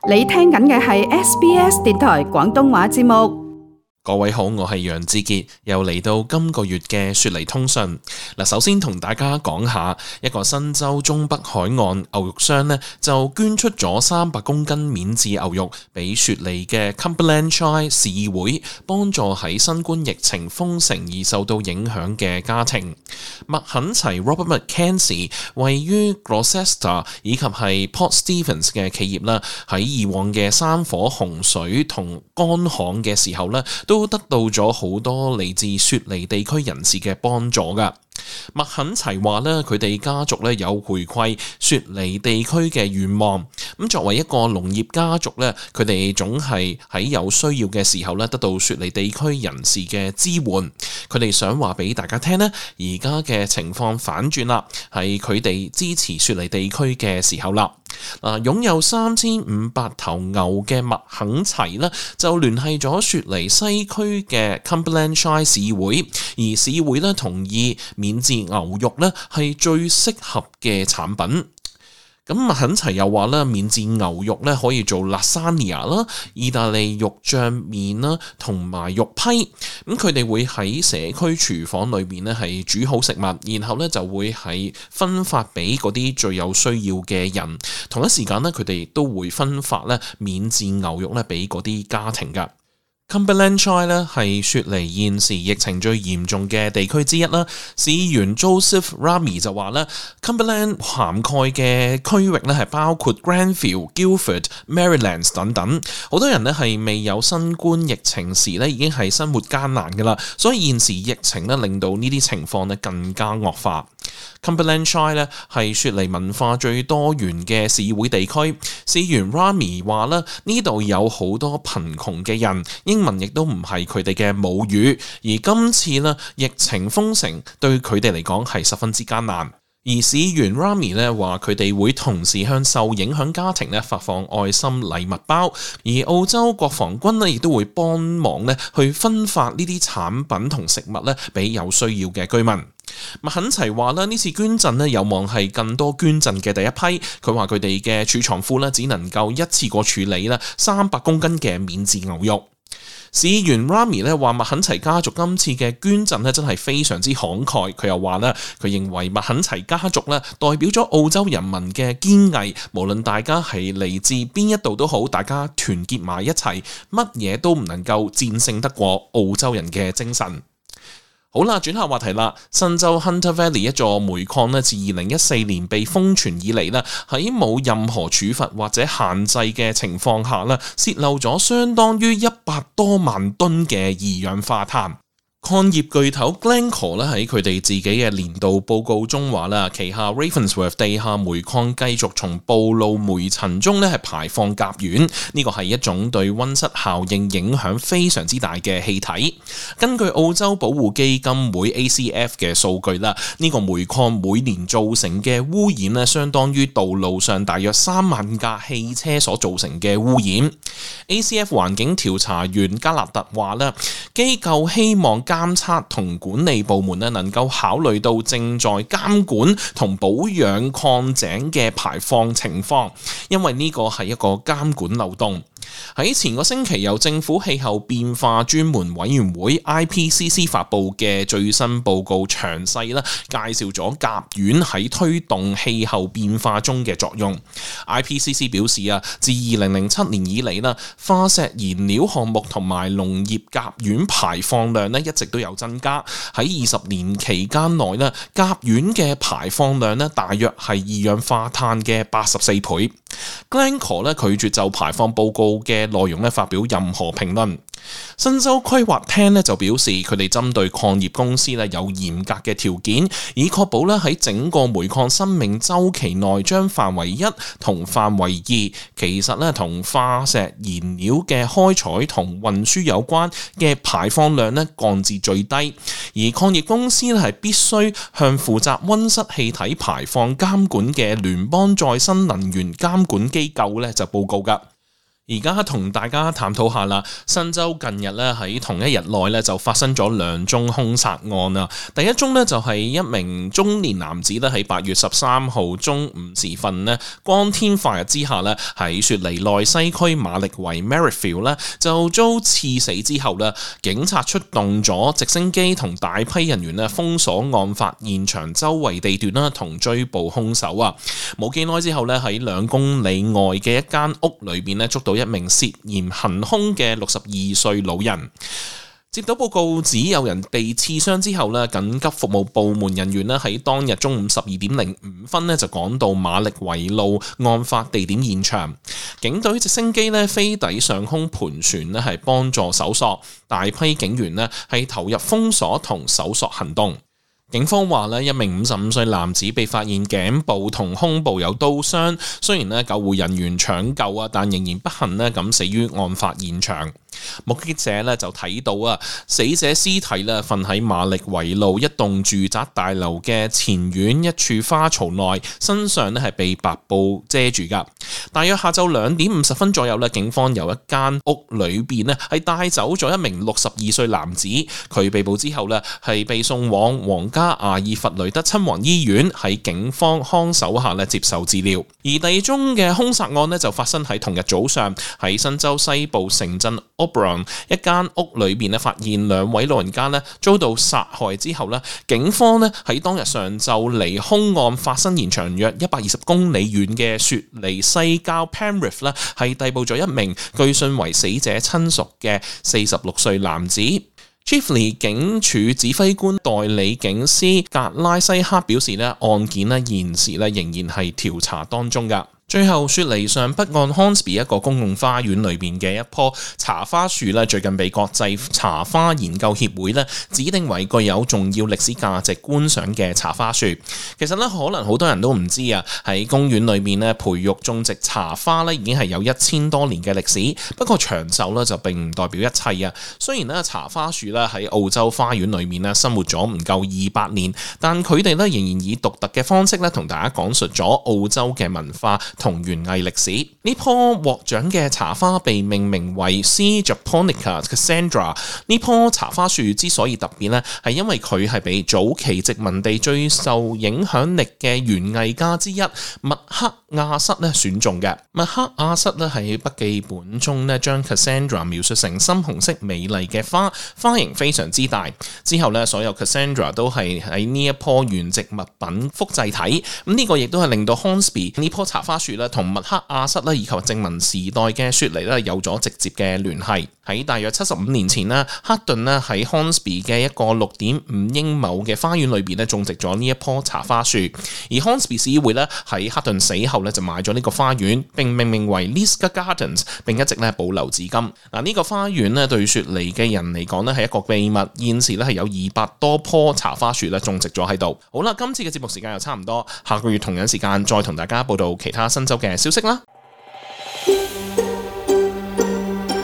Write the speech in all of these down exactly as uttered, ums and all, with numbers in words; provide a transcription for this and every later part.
你聽緊嘅係 S B S 電台廣東話節目。各位好，我係楊志傑，又嚟到今個月嘅雪梨通訊。嗱，首先同大家講下一個新州中北海岸牛肉商呢，就捐出咗三百公斤免治牛肉俾雪梨嘅 Cumberland Shire 市議會，幫助喺新冠疫情封城而受到影響嘅家庭。麥肯齊 Robert McKenzie 位於 Gloucester 以及係 Port Stephens 嘅企業啦，喺以往嘅山火、洪水同乾旱嘅時候呢，都得到咗好多嚟自雪梨地區人士嘅幫助噶。麥肯齊話咧，佢哋家族咧有回饋雪梨地區嘅願望。咁作為一個農業家族咧，佢哋總係喺有需要嘅時候咧，得到雪梨地區人士嘅支援。佢哋想話俾大家聽咧，而家嘅情況反轉啦，係佢哋支持雪梨地區嘅時候啦。嗱，擁有三千五百頭牛嘅麥肯齊咧，就聯繫咗雪梨西區嘅 Cumberland Shire 市會，而市會咧同意免治牛肉咧係最適合嘅產品。咁麥肯齊又話咧，免治牛肉咧可以做 lasagna 啦、意大利肉醬麵啦，同埋肉批。咁佢哋會喺社區廚房裏面咧係煮好食物，然後咧就會係分發俾嗰啲最有需要嘅人。同一時間咧，佢哋亦都會分發咧免治牛肉咧俾嗰啲家庭噶。Cumberland Shire 咧係雪梨現時疫情最嚴重嘅地區之一啦。市議員 Joseph Rami 就話咧 ，Cumberland 涵蓋嘅區域咧係包括 Granville、Guildford、Merrylands 等等。好多人咧係未有新冠疫情時咧已經係生活艱難噶啦，所以現時疫情咧令到呢啲情況咧更加惡化。Cumberland Shire 咧係雪梨文化最多元嘅市議會地區。市議員 Rami 話咧，呢度有好多貧窮嘅人，英文亦都唔係佢哋嘅母語，而今次呢疫情封城對佢哋嚟講係十分之艱難。而市議員 Rami 咧話佢哋會同時向受影響家庭咧發放愛心禮物包，而澳洲國防軍咧亦都會幫忙咧去分發呢啲產品同食物咧俾有需要嘅居民。麥肯齊話咧，呢次捐贈咧有望係更多捐贈嘅第一批。佢話佢哋嘅儲藏庫咧只能夠一次過處理啦三百公斤嘅免治牛肉。市議員 Rami 咧話麥肯齊家族今次嘅捐贈咧真係非常之慷慨。佢又話咧，佢認為麥肯齊家族咧代表咗澳洲人民嘅堅毅，無論大家係嚟自邊一度都好，大家團結埋一齊，乜嘢都唔能夠戰勝得過澳洲人嘅精神。好啦，轉下話題啦。新州 Hunter Valley 一座煤礦咧，自二零一四年被封存以嚟咧，喺冇任何處罰或者限制嘅情況下咧，洩漏咗相當於一百多萬噸嘅二氧化碳。礦業巨頭 Glencore 咧喺佢哋自己嘅年度報告中話啦，旗下 Ravensworth 地下煤礦繼續從暴露煤塵中咧係排放甲烷，呢個係一種對溫室效應影響非常之大嘅氣體。根據澳洲保護基金會 A C F 嘅數據啦，呢個煤礦每年造成嘅污染咧，相當於道路上大約三萬架汽車所造成嘅污染。A C F 環境調查員加納特話咧，機構希望監測同管理部門咧能夠考慮到正在監管同保養礦井嘅排放情況，因為呢個係一個監管漏洞。喺前個星期由政府氣候變化專門委員會 I P C C 發布嘅最新報告，詳細啦介紹咗甲烷喺推動氣候變化中嘅作用。I P C C 表示啊，自二零零七年以嚟啦，化石燃料項目同埋農業甲烷排放量咧一直都有增加。喺二十年期間內咧，甲烷嘅排放量咧大約係二氧化碳嘅八十四倍。Glencore 咧拒絕就排放報告嘅內容咧發表任何評論。新州規劃廳咧就表示，佢哋針對礦業公司咧有嚴格嘅條件，以確保咧喺整個煤礦生命週期內將範圍一同範圍二，其實咧同化石燃料嘅開採同運輸有關嘅排放量咧降至最低。而礦業公司咧係必須向負責溫室氣體排放監管嘅聯邦再生能源監管機構咧就報告㗎。而家同大家探討下啦，新州近日咧喺同一日內咧就發生咗兩宗兇殺案啊！第一宗呢，就係一名中年男子咧喺八月十三號中午時分咧，光天化日之下咧喺雪梨內西區馬力維 Merrifield 咧就遭刺死之後咧，警察出動咗直升機同大批人員咧封鎖案發現場周圍地段啦，同追捕兇手啊！冇幾耐之後咧喺兩公里外嘅一間屋裏邊咧捉到一名涉嫌行兇嘅六十二歲老人。接到報告指有人被刺傷之後咧，緊急服務部門人員咧喺當日中午十二點零五分咧就趕到馬力維路案發地點現場。警隊直升機咧飛抵上空盤旋咧係幫助搜索，大批警員咧係投入封鎖同搜索行動。警方話咧，一名五十五歲男子被發現頸部同胸部有刀傷，雖然咧救護人員搶救啊，但仍然不幸咧咁死於案發現場。目擊者咧就睇到啊，死者屍體咧瞓喺馬力維路一棟住宅大樓嘅前院一處花槽內，身上咧係被白布遮住噶。大約下晝兩點五十分左右咧，警方由一間屋裏邊咧係帶走咗一名六十二歲男子，佢被捕之後咧係被送往皇家阿爾弗雷德親王醫院，喺警方看守下咧接受治療。而第二宗嘅兇殺案咧就發生喺同日早上，喺新州西部城鎮Oberon 一間屋裏邊咧，發現兩位老人家咧遭到殺害之後咧，警方咧喺當日上晝離兇案發生現場約一百二十公里遠嘅雪梨西郊 Penrith 咧，係逮捕咗一名據信為死者親屬嘅四十六歲男子。Chifley 警署指揮官代理警司格拉西克表示咧，案件咧現時咧仍然係調查當中噶。最後，雪梨上北岸 Hornsby 一個公共花園裏邊嘅一棵茶花樹咧，最近被國際茶花研究協會咧指定為具有重要歷史價值觀賞嘅茶花樹。其實咧，可能好多人都唔知啊，喺公園裏面咧培育種植茶花咧已經係有一千多年嘅歷史。不過長壽咧就並唔代表一切啊。雖然咧茶花樹咧喺澳洲花園裏面咧生活咗唔夠二百年，但佢哋咧仍然以獨特嘅方式咧同大家講述咗澳洲嘅文化同園藝歷史。呢棵獲獎嘅茶花被命名為 C. Japonica Cassandra。呢棵茶花樹之所以特別呢，係因為佢係被早期殖民地最受影響力嘅園藝家之一麥克亞瑟咧選中嘅。麥克亞瑟咧喺筆記本中咧將 Cassandra 描述成深紅色美麗嘅花，花型非常之大。之後咧所有 Cassandra 都係喺呢一棵原植物品複製體。咁呢個亦都係令到 Hornsby 呢棵茶花樹咧同麥克亞瑟咧以及殖民時代嘅雪梨咧有咗直接嘅聯繫。喺大約七十五年前咧，克頓咧喺 Hornsby 嘅一個六點五英畝嘅花園裏邊咧種植咗呢一棵茶花樹。而 Hornsby 市議會咧喺克頓死後咧就買咗呢個花園，並命名為 Lisgar Gardens， 並一直咧保留至今。嗱，呢個花園咧對雪梨嘅人嚟講咧係一個秘密，現時咧係有二百多棵茶花樹咧種植咗喺度。好啦，今次嘅節目時間又差唔多，下個月同樣時間再同大家報道其他新州嘅消息啦。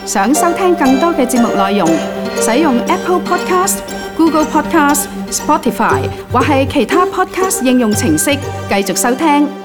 想收聽更多嘅節目內容，使用 Apple Podcast、Google Podcast、Spotify 或係其他 Podcast 應用程式繼續收聽。